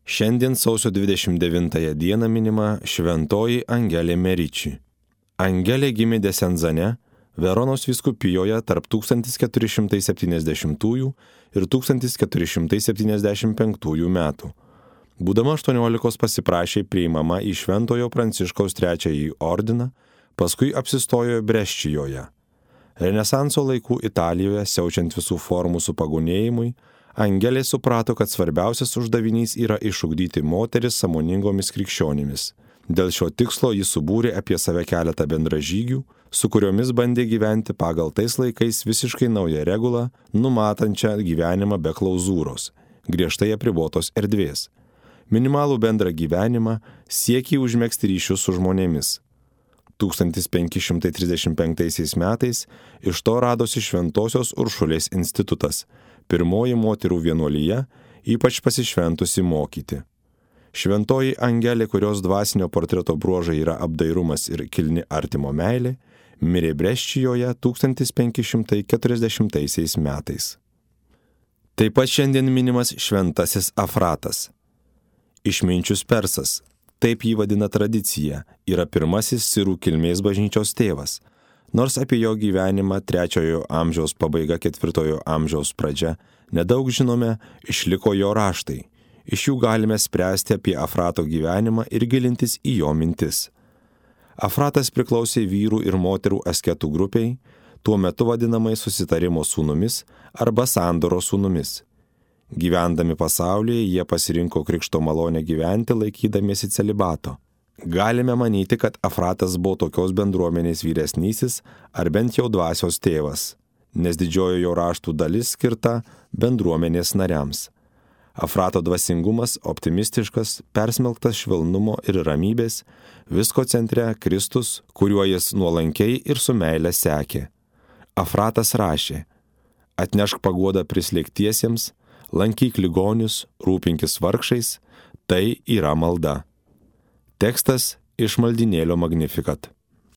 Šiandien sausio 29 dieną minima šventoji Angelė Meriči. Angelė gimė Desenzane, Veronos vyskupijoje tarp 1470 ir 1475 metų. Būdama 18 pasiprašė priimama į Šventojo Pranciškaus III ordiną, paskui apsistojo Breščijoje. Renesanso laikų Italijoje, siaučiant visų formų supagonėjimui, Angelė suprato, kad svarbiausias uždavinys yra išugdyti moteris sąmoningomis krikščionimis. Dėl šio tikslo jis subūrė apie save keletą bendražygių, su kuriomis bandė gyventi pagal tais laikais visiškai naują regulą, numatančią gyvenimą be klauzūros, griežtai apribotos erdvės. Minimalų bendrą gyvenimą, siekį užmegzti ryšius su žmonėmis. 1535 metais iš to radosi Šventosios Uršulės institutas, pirmoji moterų vienuolija, ypač pasišventusi mokyti. Šventoji Angelė, kurios dvasinio portreto bruožai yra apdairumas ir kilni artimo meilė, mirė Breščijoje 1540 metais. Taip pat šiandien minimas šventasis Afratas. Išminčius persas, taip jį vadina tradicija, yra pirmasis sirų kilmės bažnyčios tėvas, nors apie jo gyvenimą 3 amžiaus pabaiga 4 amžiaus pradžia nedaug žinome, išliko jo raštai. Iš jų galime spręsti apie Afrato gyvenimą ir gilintis į jo mintis. Afratas priklausė vyrų ir moterų asketų grupiai, tuo metu vadinamai susitarimo sūnumis arba sandoros sūnumis. Gyvendami pasaulyje, jie pasirinko krikšto malonę gyventi laikydamiesi celibato. Galime manyti, kad Afratas buvo tokios bendruomenės vyresnysis ar bent jau dvasios tėvas, nes didžioji jo raštų dalis skirta bendruomenės nariams. Afrato dvasingumas optimistiškas, persmelktas švelnumo ir ramybės, visko centre Kristus, kuriuo jis nuolankiai ir su meile sekė. Afratas rašė: atnešk paguodą prislėgtiesiems, lankyk ligonius, rūpinkis vargšais, tai yra malda. Tekstas iš maldynėlio Magnificat.